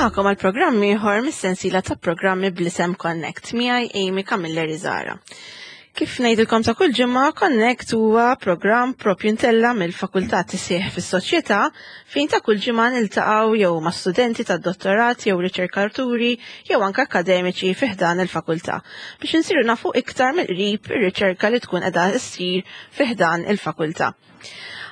Nilqakom għal programm ieħor mis-sensiela ta' programmi bl-isem Connect miegħi Amy Camilleri Zara. Kif ngħidilkom ta' kull ġimgħa, Connect huwa programm propju ntella mill-Fakultà Tisih fis-Soċjetà fejn ta' kull ġimgħa niltaqgħu jew ma' studenti tad-dottorat jew riċerkaturi jew anke akademiċi fi ħdan il-fakultà biex insiru nafu iktar mill-qrib ir-riċerka li tkun qiegħda ssir fi ħdan il-fakultà.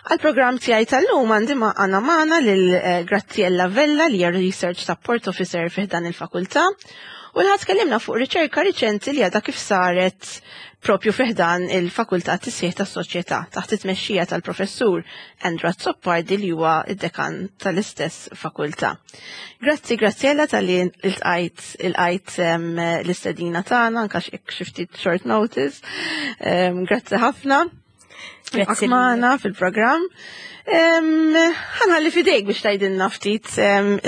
Għal-programm tiegħi tal-lum għandi ma' għana magħna lil eh, Graziella Vella li hija Research Support Officer fih dan il-fakultà u li tkellimna fuq riċerka riċenti li għadha kif saret propju fih dan il-fakultà tisħiħ tas-soċjetà taħt it-tmexxija tal-professur Andrew Azzopardi li huwa id-dekan tal-istess fakultà. Grazzi Graziella tal-li il-tqajt il-qajt l-istedina tagħna anke xi ftit short notice. Grazzi ħafna. Grazzi magħna fil-programm. Ħanħalli fidejk biex tgħidilna ftit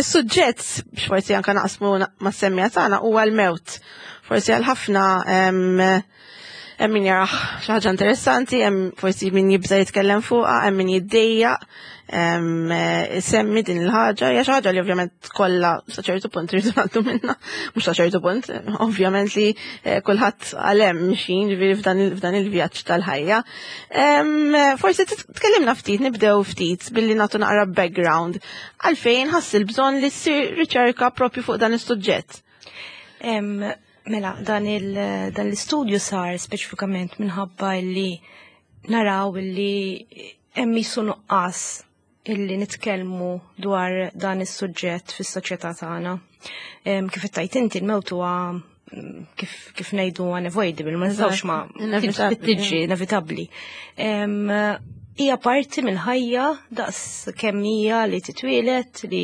is-suġġett biex forsi anke naqsmu mas-semmija tagħna huwa l-mewt. Forsi għal ħafna hemm min jarah xi ħaġa interessanti, hemm forsi min jibża jitkellem fuqha, hemm min jiddejjaq semmi din il-ħaġa, hija xi ħaġa li ovvjament kollha sa ċertu punt rridu ngħaddu minnha, mhux sa ċertu punt, ovvjament li eh, kulħadd għalhemm mixin ġifieri f'dan il-vjaġġ tal-ħajja. Forsi tkellimna ftit, nibdew ftit billi nagħtu naqra background għalfejn ħass il-bżonn li ssir riċerka propju fuq dan is-suġġett. Mela, dan l-istudju sar speċifikament minħabba li naraw li hemm qisu nuqqas illi nitkellmu dwar dan is-suġġett fis-soċjetà tagħna. Kif ittajt inti l-mewt huwa mm, kif, kif ngħidu unavoidable, ma nistgħux ma tiġi inevitabbli. Hija parti mill-ħajja daqs kemm hija li titwielet, li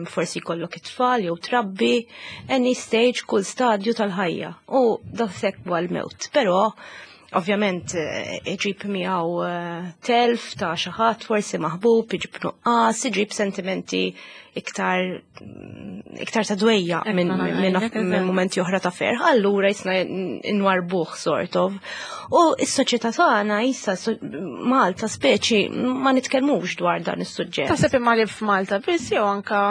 forsi jkollok it-tfal jew trabbi, any stage, kull stadju tal-ħajja. U daqshekk huwa l-mewt. Però Ovvjament eh, iġib miegħu eh, telf ta' xi ħadd forsi maħbub, iġib nuqqas, iġib sentimenti iktar mm, iktar ta' dwejja minn min momenti oħra ta' ferħ, allura jisna nwarbuh sort of. U s-soċjetà tagħna issa Malta speċi ma nitkellmux dwar dan is-suġġett. Taħseb imma li f'Malta biss jew anka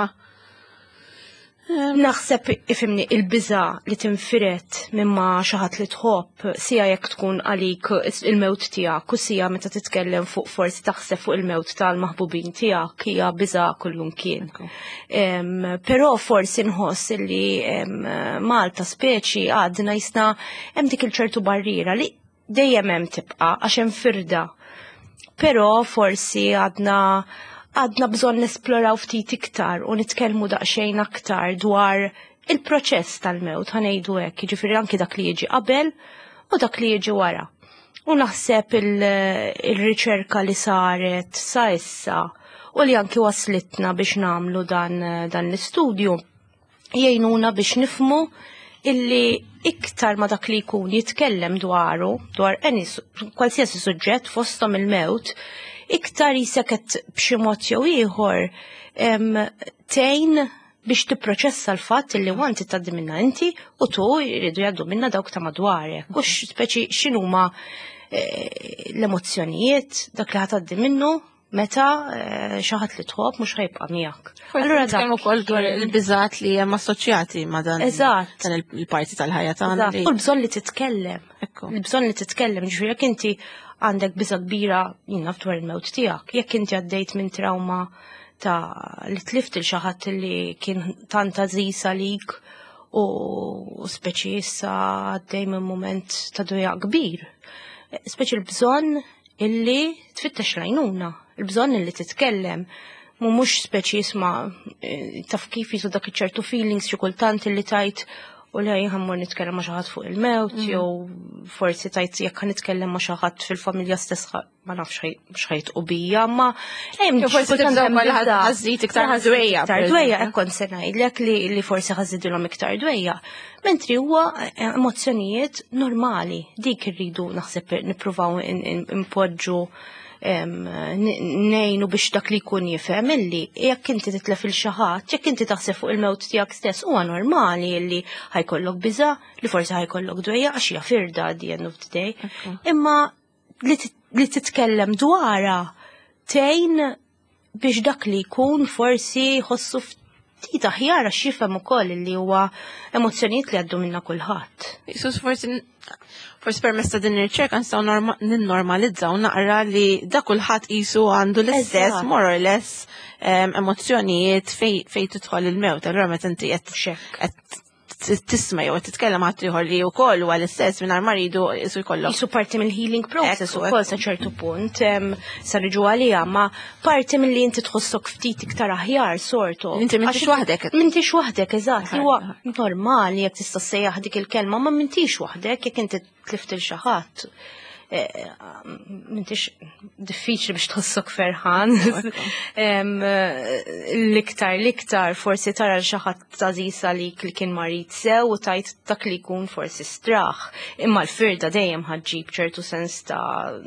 Naħseb ifimni il-biża li tinfiret minn ma xi ħadd li tħobb, sija jekk tkun għalik il-mewt tiegħek u sija meta titkellem fuq forsi taħseb fuq il-mewt tal-maħbubin tiegħek hija biża kullumkien. Però forsi nħoss li Malta speċi għadna jisna hemm dik il-ċertu barriera li dejjem hemm tibqa' għax hemm firda. Però forsi għadna għadna bżonn nesploraw ftit iktar u nitkellmu daqsxejn aktar dwar il-proċess tal-mewt ħanejdu hekk, jiġifieri anki dak li jiġi qabel u dak li jiġi wara. U naħseb il-riċerka li saret sa issa u li anki waslitna biex namlu dan, dan l-istudju jgħinuna biex nifmu illi iktar ma dak li jkun jitkellem dwaru, dwar any kwalsiasi suġġett fosthom il-mewt, iktar jiseket b'xi mod jew ieħor tgħin biex tipproċessa l-fatt li wanti tgħaddi minna inti u tu jridu jgħaddu minna dawk ta' madwarek. U speċi x'inhuma eh, l-emozzjonijiet dak li ħatgħaddi minnu meta eh, xi ħadd li tħobb mhux ħajbqa' miegħek. Allura dak ukoll dwar il-biżat li hemm assoċjati ma' dan Eżatt. dan il-parti tal-ħajja tagħna. U l-bżonn li titkellem. Il-bżonn li titkellem, ġifieri jekk inti għandek biża kbira jien naf dwar il-mewt tiegħek, jekk inti għaddejt minn trauma ta' li tlift il xi ħadd li kien tant għażiż għalik u speċi issa għaddej minn moment ta' dwejja kbir. Speċi l-bżonn illi tfittex l-għajnuna, il-bżonn illi titkellem, mu mhux speċi jisma' eh, taf kif jisu dak ċertu feelings xi kultant illi tajt u li ħammur nitkellem ma' xi ħadd fuq il-mewt mm. jew forsi tajt jekk nitkellem ma' xi ħadd fil-familja stess ma nafx x'ħajt u bija, ma hemm forsi ħażid iktar dwejja. Iktar dwejja hekk kont se ngħidlek li forsi ħażidilhom iktar dwejja. Mentri huwa eh, emozzjonijiet normali, dik irridu naħseb nippruvaw impoġġu nejnu biex dak li jkun jifhem illi jekk inti titlef il xi ħadd, jekk inti taħseb fuq il-mewt tiegħek stess huwa normali illi ħajkollok biża, li forsi ħajkollok dwejja għax hija firda at the end of the day. Imma li titkellem dwarha tgħin biex dak li jkun forsi jħossu ftit aħjar għax jifhem ukoll li huwa emozzjonijiet li għaddu minna kulħadd. Jesus, forsi permezz ta' din ir-riċerka nistgħu ninnormalizzaw naqra li da kulħadd qisu għandu l-istess more or less emozzjonijiet fej tidħol il-mewt. Allura meta inti qed tisma' jew qed titkellem ħadd ieħor li wkoll huwa l-istess mingħajr ma rridu qisu jkollok. Qisu parti mill-healing process ukoll sa ċertu punt sa niġu għaliha, ma parti milli inti tħossok ftit iktar aħjar sorto. Inti m'intix waħdek. M'intix waħdek, eżatt, li huwa normali jekk tista' ssejjaħ dik il-kelma, ma m'intix waħdek jekk inti tlift il xi ħadd. M'intix diffiċli biex tħossok ferħan. L-iktar forsi tara l xi ħadd għażiż għalik li kien marid sew u tajt dak li jkun forsi straħ. Imma l-firda dejjem ħaġġib ċertu sens ta'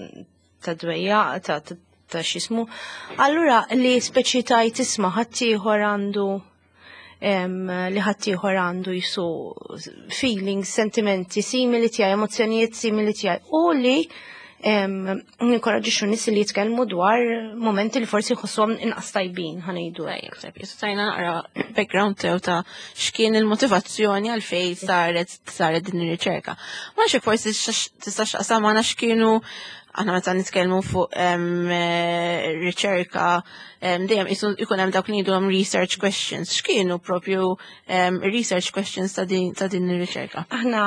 dwejja, ta' x'ismu. Allura li speċi tajt isma' ħaddieħor għandu li ħaddieħor għandu jisu feelings, sentimenti simili tiegħi, emozzjonijiet simili tiegħi u li ninkoraġġixxu nies li jitkellmu dwar momenti li forsi jħossuhom inqas tajbin, ħa ngħidu hekk. Tajjeb, jisu tajna naqra background tew ta' x'kien il-motivazzjoni għalfejn saret din ir-riċerka. Ma nafx forsi tista' x'taqsam magħna x'kienu aħna meta nitkellmu fuq riċerka dejjem ikun hemm dawk li ngħidulhom research questions. X'kienu propju research questions ta' din ir-riċerka? Aħna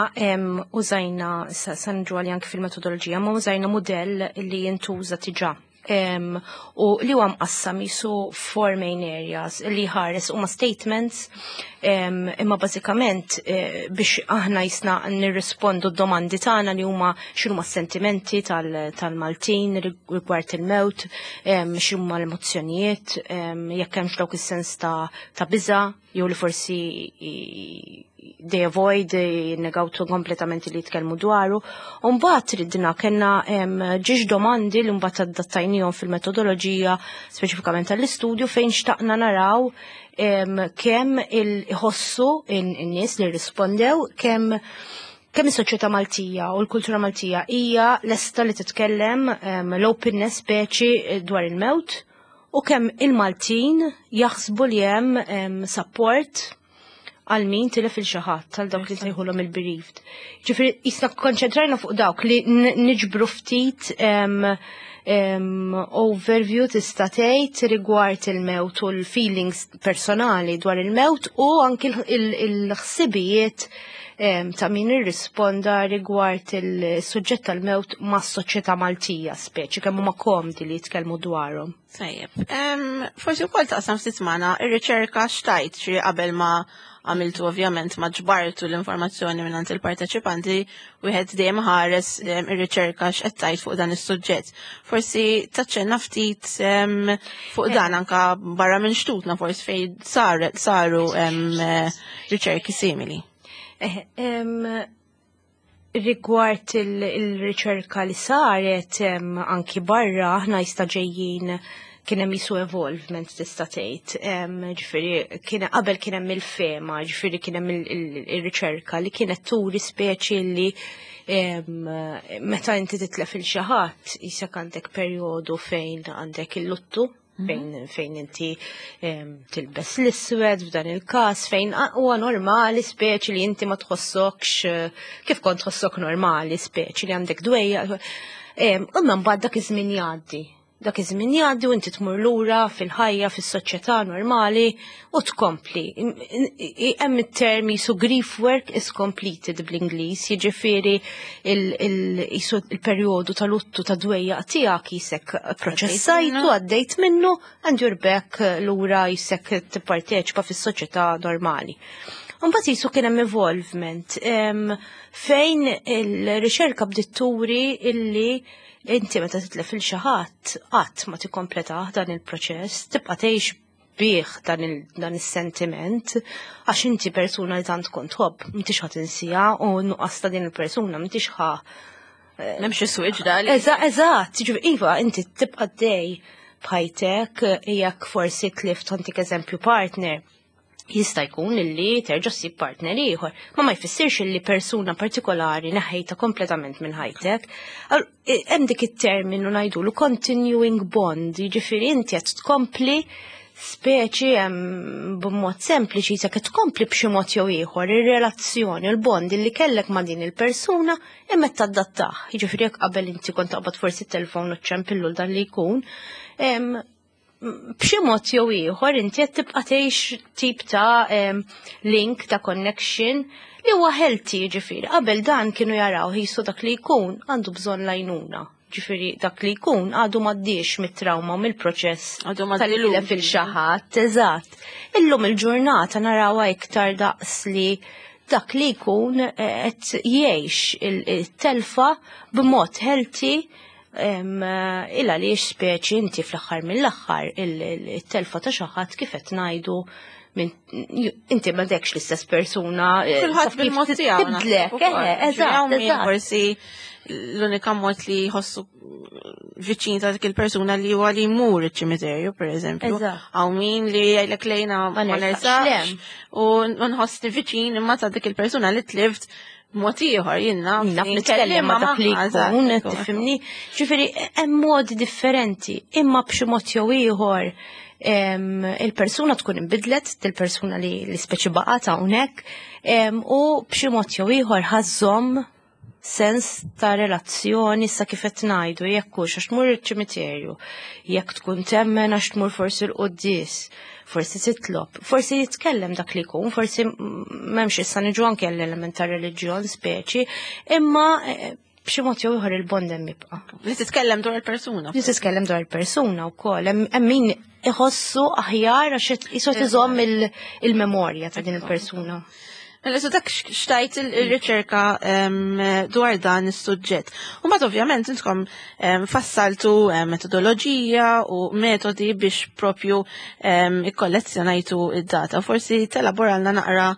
użajna, sa nġu għalli anke fil-metodoloġija, ma użajna modell li jintuża diġà. U li huwa mqassam jisu four main areas li ħares huma statements, imma bażikament biex aħna jisna nirrispondu d-domandi tagħna li huma x'inhuma s-sentimenti tal-Maltin rigward il-mewt, x'huma l-emozzjonijiet, jekk hemmx dawk is-sens ta' biża' jew li forsi they avoid, jinnegawtu kompletament li jitkellmu dwaru. U mbagħad ridna kellna ġiex domandi li mbagħad adattajnihom fil-metodoloġija speċifikament tal-istudju fejn xtaqna naraw kemm il-ħossu in-nies li rispondew, kemm is-soċjetà Maltija u l-kultura Maltija hija lesta li titkellem l-openness speċi dwar il-mewt u kemm il-Maltin jaħsbu li hemm support għal min tilef il xi ħadd, għal dawk li sejħulhom il-bereaved. Ġifieri jisna konċentrajna fuq dawk li niġbru ftit overview tista' tgħid rigward il-mewt u l-feelings personali dwar il-mewt u anki il-ħsibijiet ta' min irrisponda rigward il-suġġett tal-mewt mas-soċjetà Maltija speċi kemm huma komdi li jitkellmu dwarhom. Tajjeb. Forsi wkoll taqsam ftit magħna ir-riċerka xtajt xi qabel ma għamiltu ovvjament ma ġbartu l-informazzjoni minn il-parteċipanti, wieħed dejjem ħares ir-riċerka x'qed tgħid fuq dan is-suġġett. Forsi taċċenna ftit fuq dan anka barra minn xtutna forsi fejn saru riċerki simili. Rigward il-riċerka li saret anki barra, aħna jista' ġejjin kien hemm jisu evolvement tista' tgħid. Ġifieri kien qabel kien hemm il-fema, ġifieri kien hemm il-riċerka li kienet turi speċi li meta inti titlef il xi ħadd jisek għandek perjodu fejn għandek il-luttu, fejn inti tilbes l-iswed f'dan il-każ, fejn huwa normali speċi li inti ma tħossokx kif kont tħossok normali speċi li għandek dwejja. Imma mbagħad dak iż-żmien jgħaddi. Dak iż-żmien jgħaddi u inti tmur lura fil-ħajja, fis-soċjetà normali u tkompli. Hemm it-term jisu grief work is completed bl-Ingliż, jiġifieri jisu il-perjodu tal-luttu ta' dwejja tiegħek jisek proċessajtu, għaddejt minnu, and you're back lura jisek tipparteċipa fis-soċjetà normali. Mbagħad jisu kien hemm evolvement fejn il-riċerka bdiet turi illi inti meta titlef il xi ħadd qatt ma tikkompleta dan il-proċess, tibqa' tgħix bih dan is-sentiment għax inti persuna li tant kont tħobb, m'intix ħa tinsija u nuqqas ta' din il-persuna m'intix ħa M'hemmx switch dali. Eżatt, jiġifieri iva, inti tibqa' dej b'ħajtek jekk forsi tlift antik eżempju partner. Jista' jkun illi terġa' ssib partner ieħor, ma jfissirx illi persuna partikolari neħejta kompletament minn ħajtek. Hemm dik it-terminu ngħidulu continuing bond, jiġifieri inti qed tkompli Speċi b'mod sempliċi se tkompli b'xi mod jew ieħor ir-relazzjoni, il-bond li kellek ma' din il-persuna imma tadattah. Jiġifieri jekk qabel inti kont taqbad forsi t-telefon u ċċempillu dan li jkun, b'xi mod jew ieħor inti qed tibqa' tgħix tip ta' link ta' connection li huwa healthy jiġifieri. Qabel dan kienu jaraw qisu dak li jkun għandu bżonn l-għajnuna. Ġifieri dak li jkun għadu m'għaddiex mit-trauma u mill-proċess Għadu ma tal-li dilux. fil-xi ħadd, eżatt. Illum il-ġurnata narawha iktar daqs li dak li jkun qed jgħix il-telfa b'mod healthy illa li speċi inti fl-aħħar mill-aħħar il-telfa ta' xi ħadd kif qed ngħidu minn inti m'għadekx l-istess persuna. Kulħadd Taf kif bil-mod tiegħu. Tibdlek, naħseb ukoll. eżatt, Min eżatt. Forsi l-unika mod li jħossu viċin ta' dik il-persuna li huwa li jmur iċ-ċimiterju, per eżempju. Eżatt. Hawn min li jgħidlek lejna Ma ma nersaqx nersaqx lem. u nħossni viċin imma ta' dik il-persuna li tlift mod ieħor jien naf. Naf nitkellem ma dak li jkun, tifhimni. Ġifieri hemm modi differenti, imma b'xi mod jew ieħor il-persuna tkun inbidlet, il-persuna li speċi baqgħet hawnhekk, u b'xi mod jew ieħor ħa żżomm sens ta' relazzjoni sa kif qed ngħidu jekk hux għax tmur iċ-ċimiterju, jekk tkun temmen għax tmur forsi l-quddies, forsi titlob, forsi jitkellem dak li jkun, forsi m'hemmx issa niġu anke l-element ta' reliġjon speċi, imma b'xi mod jew ieħor il-bond hemm jibqa'. Li titkellem dwar il-persuna. Li titkellem dwar il-persuna wkoll, hemm min iħossu aħjar għax qisu iżomm il-memorja ta' din il-persuna. Mela, so dak xtajt il-riċerka dwar dan is-suġġett. U mbagħad ovvjament intkom fassaltu metodoloġija u metodi biex propju ikkollezzjonajtu id-data. Forsi telaboralna naqra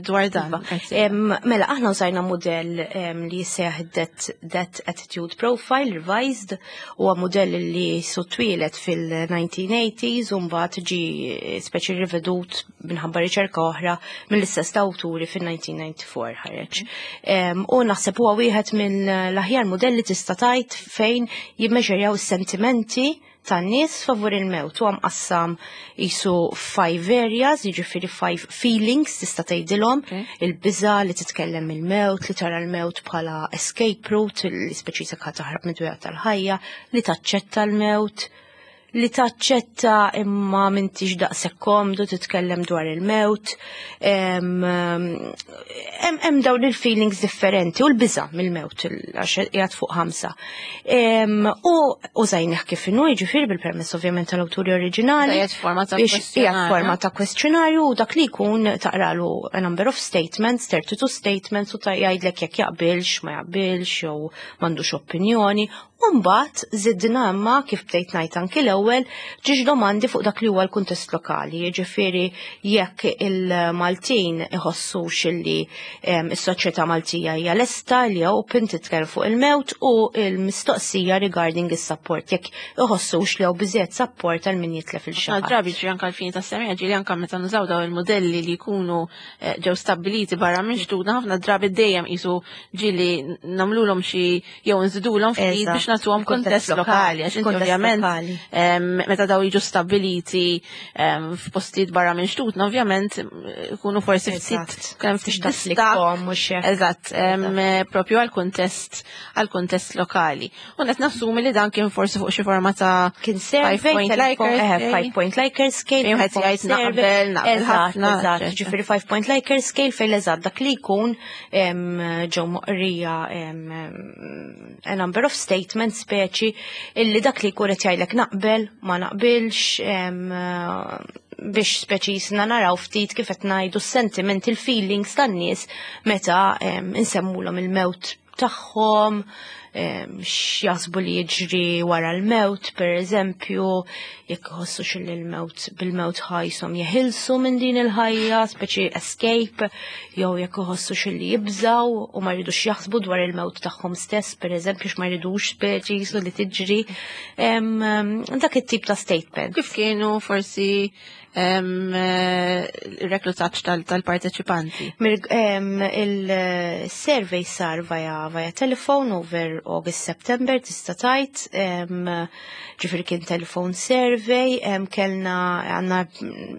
dwar dan. Iva. Mela, aħna użajna modell li jissejjaħ Death Attitude Profile Revised, huwa modell li twieled fil-1980s u mbagħad ġi speċi rivedut minħabba riċerka oħra mill-istess awturi fil-1994 ħareġ. U naħseb huwa wieħed mill-aħjar modelli tista' tgħid fejn jimmeġerjaw is-sentimenti tan-nies favur il-mewt. Huwa mqassam qisu five areas, jiġifieri five feelings tista' tgħidilhom, il-biża li titkellem il-mewt, li tara l-mewt bħala escape route, li speċi se taħrab mid-dwejjaq tal-ħajja, li taċċetta l-mewt, li taċċetta imma m'intix daqshekk komdu titkellem dwar il-mewt. Hemm dawn il-feelings differenti u l-biża' mill-mewt għax qiegħed fuq 5. U użajnih kif inhu, jiġifieri bil-permess ovvjament tal-awturi oriġinali. Qiegħed forma ta' Biex qiegħed kwestjonarju. forma ta' kwestjonarju u dak li jkun taqralu a number of statements, 32 statements u ta' jgħidlek jekk jaqbilx, ma jaqbilx, jew m'għandux opinjoni. Mbagħad żidna imma kif bdejt ngħid anki l-ewwel ġiex domandi fuq dak li huwa l-kuntest lokali, jiġifieri jekk il-Maltin iħossux illi is-soċjetà Maltija hija lesta li hija open titkellem fuq il-mewt u l-mistoqsija regarding is-support, jekk iħossux li hawn biżejjed support għal min jitlef il Ħafna xi ħadd. drabi ġri anke l-fini tas-semija ġieli anke meta nużaw daw il-modelli li jkunu ġew stabbiliti barra minn xtutna, ħafna drabi dejjem qisu ġieli nagħmluhom xi jew nżidulhom ftit biex nagħtuhom Kuntest kuntest lokali, għax inti Kuntest ovvjament, lokali. meta daw jiġu stabbiliti f'postijiet barra minn xtutna, ovvjament ikunu forsi ftit kemm ftit Biex distakk. tapplikhom mhux hekk. Eżatt, propju għal-kuntest lokali. U qed nassumi li dan kien forsi fuq xi forma ta' Kien survey, five point telefon, Likert scale. 5 point Likert scale, Fejn wieħed telefon jgħid survey. naqbel, naqbel Eżatt, ħafna, eżatt. eċċetera. Ġifieri 5 point Likert scale fejn eżatt dak li jkun ġew moqrija a number of statements speċi illi dak li jkun qed jgħidlek naqbel, ma naqbilx, biex speċi jisna naraw ftit kif qed ngħidu s-sentimenti, il-feelings tan-nies meta insemmulhom il-mewt tagħhom, x'jaħsbu li jiġri wara l-mewt, per eżempju, jekk iħossu xilli l-mewt bil-mewt ħajsom jeħilsu minn din il-ħajja, speċi escape, jew jekk iħossu xilli jibżaw u ma jridux jaħsbu dwar il-mewt tagħhom stess, per eżempju, x'ma jridux speċi jisu li tiġri. Dak it-tip ta' statement. Kif kienu forsi Il-reklutaġġ tal-parteċipanti? Il-survey sar via telephone over August, September, tista' tgħid, ġifieri kien telephone survey, kellna għandna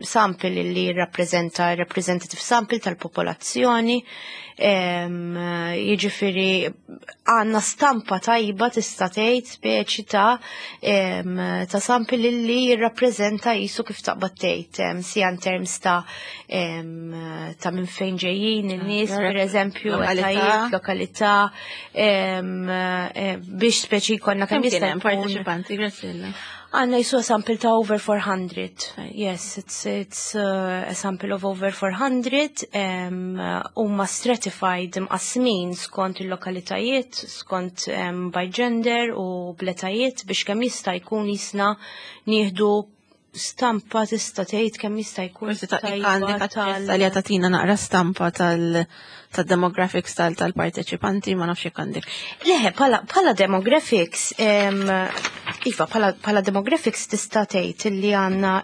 sample li rappreżenta representative sample tal-popolazzjoni, jiġifieri għandna stampa tajba, tista' tgħid, speċi ta' sample li jirrappreżenta jisu kif taqbad tgħid, sija in terms ta' minn fejn ġejjin in-nies, per eżempju, lokalità. Etajiet, lokalità, biex speċi jkollna kemm Kemm kien jista' hemm jkun. parteċipanti, Graziella? Għandna jisu sample ta' over 400. Yes, it's a sample of over 400. Huma stratified, mqasmin skont il-lokalitajiet, skont by gender u bl-etajiet biex kemm jista' jkun jisna nieħdu stampa, tista' tgħid, kemm jista' jkun Forsi ta' tajba għandek aċċess li tagħtina naqra stampa tal-demographics tal-parteċipanti, ma nafx jekk għandek. Le, pala demographics, iva, pala demographics tista' tgħid illi għandna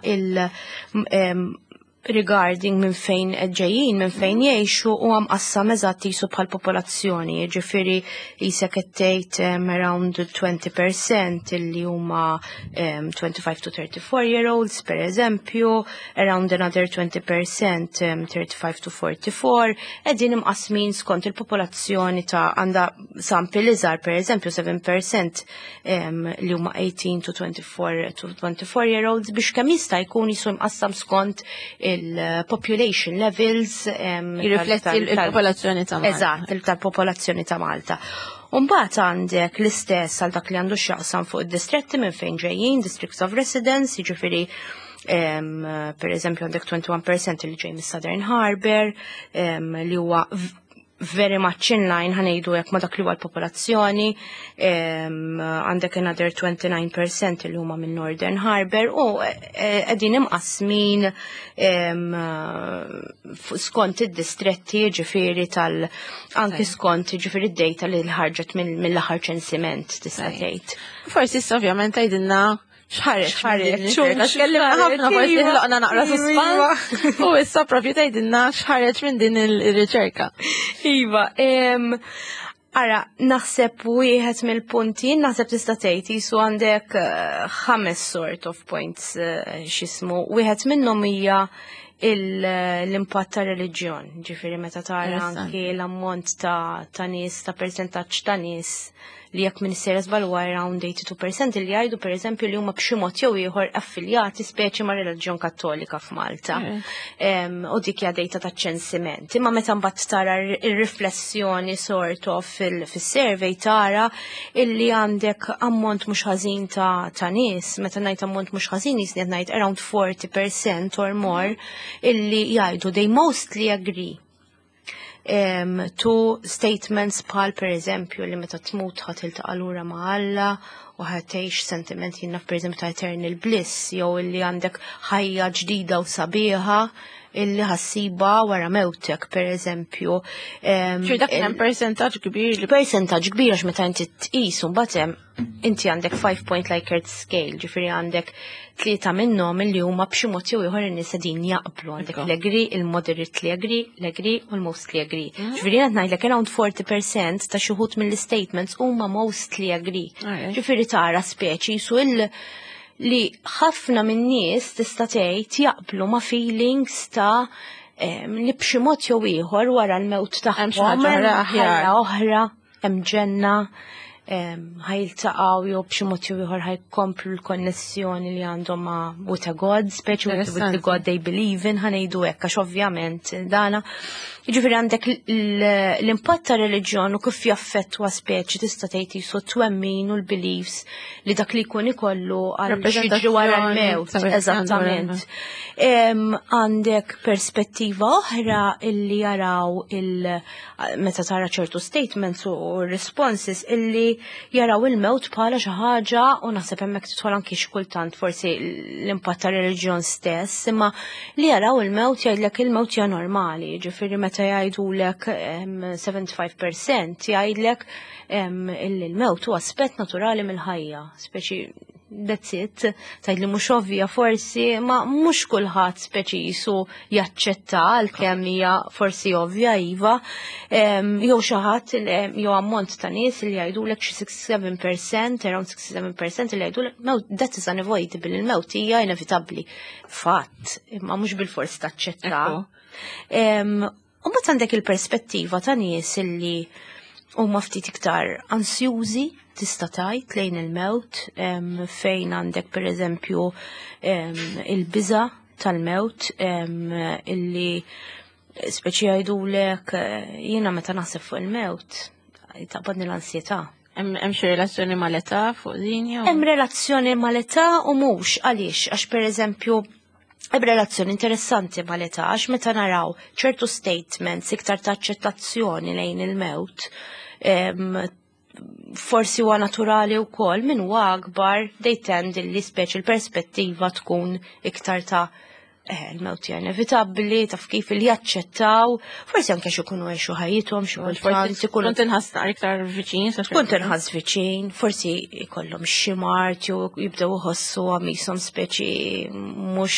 regarding minn fejn ġejjin, minn fejn jgħixu, u għam qassam eżatt jisu bħal popolazzjoni, ġifieri jisek qed tgħid around 20% illi huma 25 to 34 year olds, per eżempju, around another 20% 35 to 44, qegħdin imqasmin skont il-popolazzjoni ta' għanda sample iżgħar, per eżempju, 7% li huma 18 to 24 to 24 year olds, biex kemm jista' jkun jisu imqassam skont il-population levels Jirrifletti il-popolazzjoni ta' Malta. Eżatt, tal-popolazzjoni ta' Malta. Umbagħad għandek l-istess għal dak li għandu x'jaqsam fuq id-distretti minn fejn ġejjin, districts of residence, jiġifieri per eżempju għandek 21% li ġej mis-Southern Harbour, li huwa very much in line, ħa ngħidu hekk, ma dak li huwa l-popolazzjoni, għandek another 29% li huma minn Northern Harbour u qegħdin imqasmin skont id-distretti, ġifieri tal anki skont ġifieri id-data li ħarġet mill-aħħar ċensiment, tista' tgħid. Forsi issa ovvjament tgħidilna x'ħareġ. X'ħareġ, Tkellimna ħafna, forsi ħloqna naqra suspans. U issa propju tgħidilna x'ħareġ minn din il-riċerka. Iva, ara, naħseb wieħed mill-punti, naħseb tista' tgħid jisu għandek ħames sort of points x'ismu. Wieħed minnhom hija l-impatt ta' reliġjon, ġifieri meta tara anki l-ammont ta' nies, ta' percentaġġ ta' nies li jekk minn sejra żball huwa around 82% li jgħidu, per eżempju, li huma b'xi mod jew ieħor affiljati speċi ma' reliġjon Kattolika f'Malta. U dik hija data ta' ċensiment. Imma meta mbagħad tara ir-riflessjoni sort of fis-survey, tara illi għandek ammont mhux ħażin ta' nies, meta ngħid ammont mhux ħażin jisni qed ngħid around 40% or more illi jgħidu they mostly agree to statements bħal, per eżempju, li meta tmut ħa tiltaqa' lura ma' Alla u ħa tgħix sentiment jiena per eżempju ta' eternal bliss, jew illi għandek ħajja ġdida u sabiħa illi ħa ssibha wara mewtek, per eżempju. Ġifieri dak hemm percentaġġ kbir li Percentaġġ kbir, għax meta inti tqis u mbagħad hemm inti għandek 5 point Likert scale, ġifieri għandek tlieta minnhom illi huma b'xi mod jew ieħor in-nies qegħdin jaqblu. Għandek l-agree, il-moderately agree, l-agree u l-mostly agree. Ġifieri qed ngħidlek around 40% ta' xi wħud mill-statements huma mostly agree. Ġifieri tara speċi su li ħafna min-nies, tista' tgħid, jaqblu ma' feelings ta' li b'xi mod jew ieħor wara l-mewt Hemm xi tagħhom ħaġa oħra hemm aħjar. ħajja oħra, hemm ġenna, ħa jiltaqgħu jew b'xi mod jew ieħor ħa jkomplu l-konnessjoni li għandhom ma' with a God, speċi with the God they believe in, ħa ngħidu hekk, għax ovvjament dana. Jiġifieri għandek l-impatt ta' reliġjon u kif jaffettwa speċi, tista' tgħid, jisu twemmin u l-beliefs li dak li jkun ikollu għal xi wara l-mewt. Rappresentazzjoni Eżattament. Għandek perspettiva oħra illi jaraw meta tara ċertu statements u responses illi jaraw il-mewt bħala xi ħaġa, u naħseb hemmhekk tidħol anki xi kultant forsi l-impatt ta' reliġjon stess, imma li jaraw il-mewt, jgħidlek il-mewt hija normali, ġifieri meta jgħidulek 75% jgħidlek illi l-mewt huwa aspett naturali mill-ħajja, speċi That's it. Tgħid li mhux ovvja forsi, ma mhux kulħadd speċi jisu jaċċetta għalkemm hija forsi ovvja iva. Jew xi ħadd jew ammont ta' nies li jgħidulek xi 67%, around 67% li jgħidulek mewt that is unavoidable, il-mewt hija inevitabbli. Fatt, imma mhux bil-forsi taċċetta. U mbagħad għandek il-perspettiva ta' nies illi huma ftit iktar ansjużi tista' tgħid lejn il-mewt, fejn għandek pereżempju il-biża tal-mewt, illi speċi jgħidulek, jiena meta naħseb fuq il-mewt taqbadni l-ansjetà. Hemm xi relazzjoni mal-età fuq din jew? Hemm relazzjoni mal-età u mhux. Għaliex? Għax pereżempju hemm relazzjoni interessanti mal-età, għax meta naraw ċertu statements iktar ta' aċċettazzjoni lejn il-mewt, forsi huwa naturali wkoll min huwa akbar they tend li speċi l-perspettiva tkun iktar ta' il-mewt hija inevitabbli, taf kif li jaċċettaw, forsi anke xi jkunu għexu ħajjithom, xi Forsi kultant ikunu tkun tinħass naqra iktar viċin, sa tkun tinħass viċin, forsi jkollhom xi mard jew jibdew iħossu għamishom speċi mhux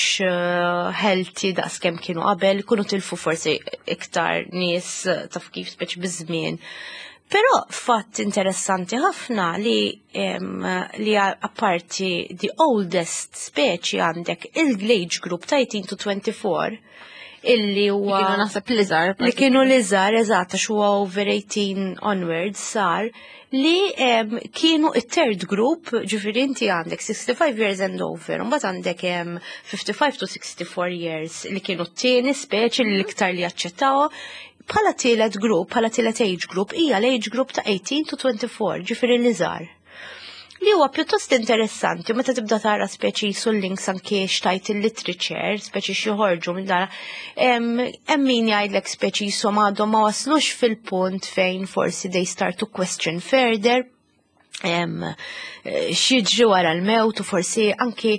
healthy daqskemm kienu qabel, ikunu tilfu forsi iktar nies, taf kif speċi biż-żmien. Però fatt interessanti ħafna li apparti the oldest speċi għandek il-age group ta' 18 to 24 illi huwa Li kienu naħseb l-iżgħar, li kienu l-iżgħar, eżatt, għax huwa over 18 onwards sar, li kienu it-third group, ġifieri inti għandek 65 years and over, u mbagħad għandek 55 to 64 years li kienu t-tieni speċi li l-iktar li jaċċettaw. Bħala tielet group, bħala tielet age group, hija l-age group ta' 18 to 24, ġifieri l-iżgħar. Li huwa pjuttost interessanti, meta tibda tara speċi sul links anke xtajt il-literature, speċi xi minn dara, hemm min jgħidlek speċi jisom għadhom ma waslux fil-punt fejn forsi they start to question further, x'jiġri wara l-mewt u forsi anki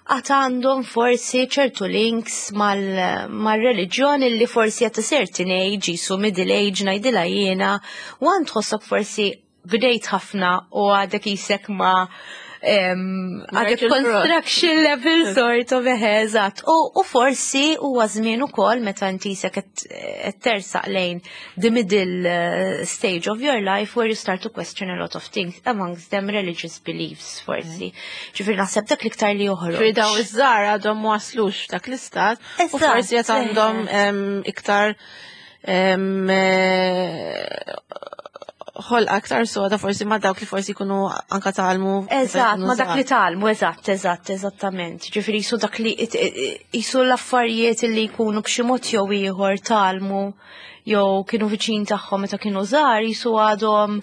għad għandhom forsi ċertu links mal-reliġjon li forsi at a certain age, jisu middle age ngħidilha jiena, u għand tħossok forsi bdejt ħafna u għadek jisek ma għadek Rajt il-frott. construction level sort of, eħe, eżatt. U forsi huwa żmien ukoll meta inti jisek qed tersaq lejn the middle stage of your life where you start to question a lot of things, amongst them religious beliefs forsi. Ġifieri naħseb dak l-iktar li joħroġ. Ġifieri daw iż-żgħar għadhom ma waslux f'dak l-istat u forsi qed għandhom iktar ħolqa aktar soda forsi ma dawk li forsi jkunu anka tgħallmu meta Eżatt, jkunu ma dak li żgħar. tgħallmu, eżatt, eżatt, eżattament. Ġifieri jisu dak li jisu l-affarijiet li jkunu b'xi mod jew ieħor tgħallmu jew kienu viċin tagħhom meta kienu żgħar, jisu għadhom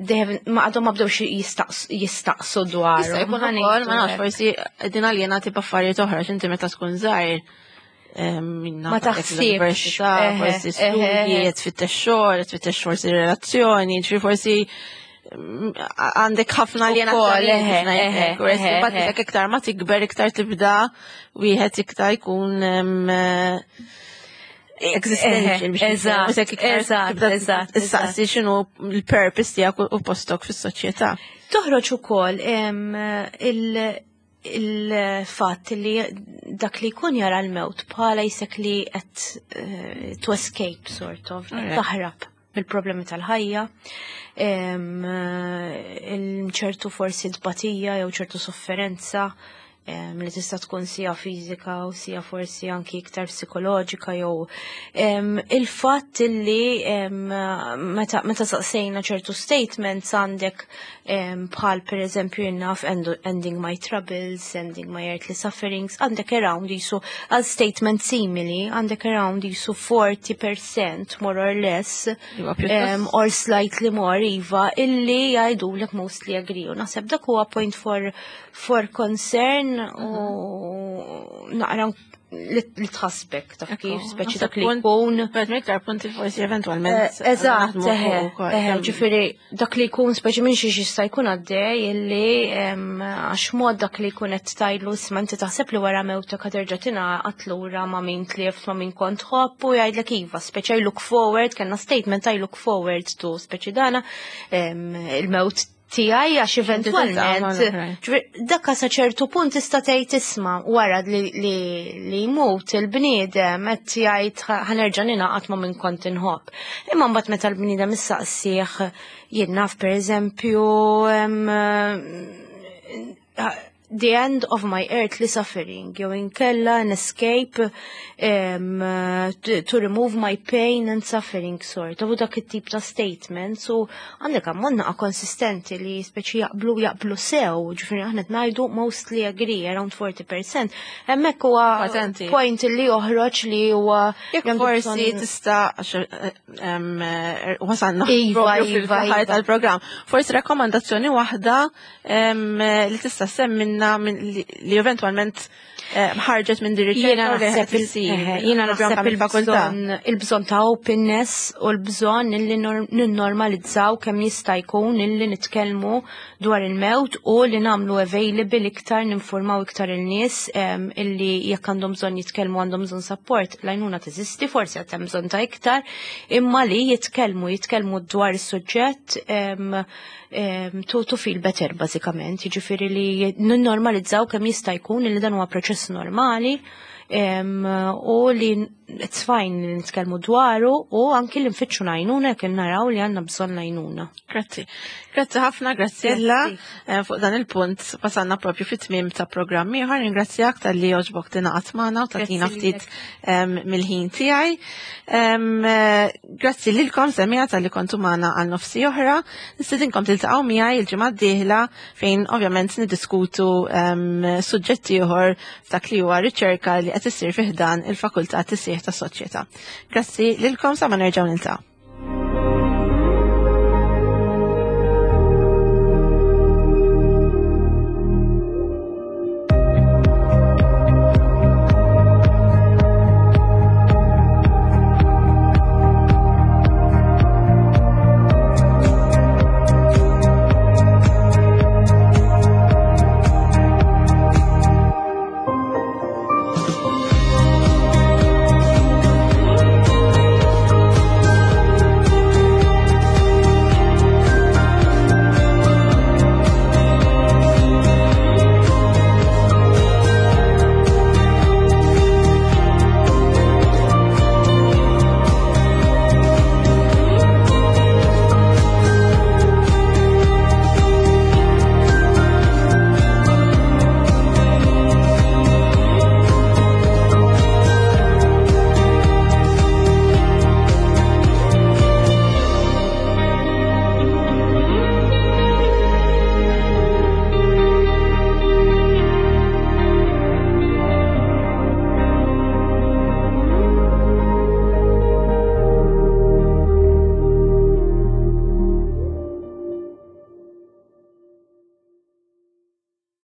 they haven't, ma għadhom ma bdewx jistaqsu dwarhom. Jista' jkun Ħa ukoll, ma ngħidu nafx, hekk. forsi qegħdin aljenati b'affarijiet oħra, x'inti meta tkun żgħir, minna Ma għandek taħsibx. l-università, forsi studji, qed tfittex xogħol, qed tfittex forsi relazzjoni, ġifieri forsi għandek ħafna Ukoll, aljenazzjoni eħe, biex ngħid eħe, hekk, whereas eħe, imbagħad eħe. dak iktar ma tikber, iktar tibda wieħed iktar jkun existential biex ngħid hekk, iktar tibda tistaqsi x'inhu l-purpose tiegħek u postok fis-soċjetà. Toħroġ ukoll il-fatt li dak li jkun jara l-mewt bħala jisek li qed to escape sort of, taħrab mill-problemi tal-ħajja, il-ċertu forsi tbatija jew ċertu sofferenza li tista' tkun sija fiżika u sija forsi anki iktar psikoloġika jew il-fatt li meta saqsejna ċertu statements għandek bħal per eżempju jinnaf ending my troubles, ending my earthly sufferings, għandek around jisu għal statement simili, għandek around jisu 40% more or less, Iva, pjuttost. or slightly more, iva, illi jgħidulek mostly agree. U naħseb dak huwa point for concern u naqra li tħassbek, taf kif, speċi Naħseb dak li punt- jkun. But iktar punti forsi eventualment Eżatt, naħdmu eħe, fuq ukoll. eħe, ġifieri dak li jkun speċi minn xiex jista' jkun għaddej illi għax mod dak li jkun qed tajlu isma' inti taħseb li wara mewtek ħa terġa' tingħaqad lura ma' min tlieft ma' min kont tħobb u jgħidlek iva, speċi I look forward, kellna statement I look forward to speċi dana, il-mewt Tiegħi għax eventwalment dakka sa ċertu punt tista' tgħid isma' wara li li jmut il-bniedem qed jgħid ħanerġa' ningħaqad ma' min kont inħobb. Imma mbagħad meta l-bniedem issaqsih jien naf pereżempju the end of my earthly suffering, jew inkella an escape to remove my pain and suffering sort of dak it-tip ta' statements u għandek ammont naqa konsistenti li speċi jaqblu jaqblu sew, ġifieri aħna qed ngħidu mostly agree around 40%. Hemmhekk huwa point li joħroġ li huwa jekk forsi tista' wasalna iva, iva, iva. tal-programm. Forsi rakkomandazzjoni waħda li tista' semminna li eventwalment ħarġet minn din riċerka Jiena naħseb il-bżonn ta' openness u l-bżonn illi ninnormalizzaw kemm jista' jkun illi nitkellmu dwar il-mewt u li nagħmlu available iktar, ninformaw iktar il-nies illi jekk għandhom bżonn jitkellmu, għandhom bżonn support, l-għajnuna teżisti, forsi għad hemm bżonn ta' iktar, imma li jitkellmu dwar is-suġġett to feel better bażikament, jiġifieri li ninnormalizzaw kemm jista' jkun li dan huwa proċess normali u li it's fine li nitkellmu dwaru u anki li nfittxu l-għajnuna jekk naraw li għandna bżonn l-għajnuna. Grazzi. Grazzi ħafna, Graziella. Fuq dan il-punt wasalna propju fit-tmiem ta' programm ieħor. Ringrazzjak talli għoġbok tingħaqad magħna u tagħtina ftit mill-ħin tiegħi. Grazzi lilkom semmiegħa talli kontu magħna għal nofs siegħa oħra. Nistedinkom tiltaqgħu miegħi il-ġimgħa d-dieħla fejn ovvjament niddiskutu suġġetti ieħor f'dak li huwa riċerka li qed issir fi ħdan il-Fakultà Tisħiħ tas-Soċjetà. Grazzi lilkom sa ma nerġgħu niltaqgħu.